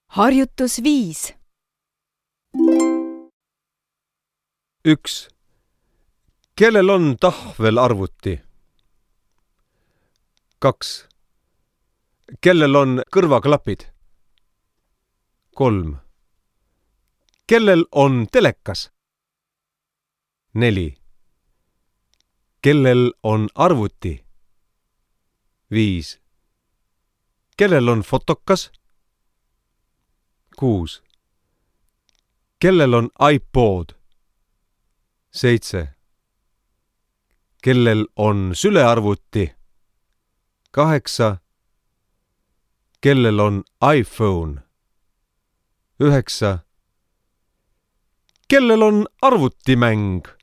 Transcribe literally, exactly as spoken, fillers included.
Harjutus viis. üks. Kellel on tahvelarvuti? kaks. Kellel on kõrvaklapid? kolm. Kellel on telekas? neli. Kellel on arvuti? viis. Kellel on fotokas? kuus. Kellel on iPod? seitse. Kellel on sülearvuti? kaheksa. Kellel on iPhone? üheksa. Kellel on arvutimäng?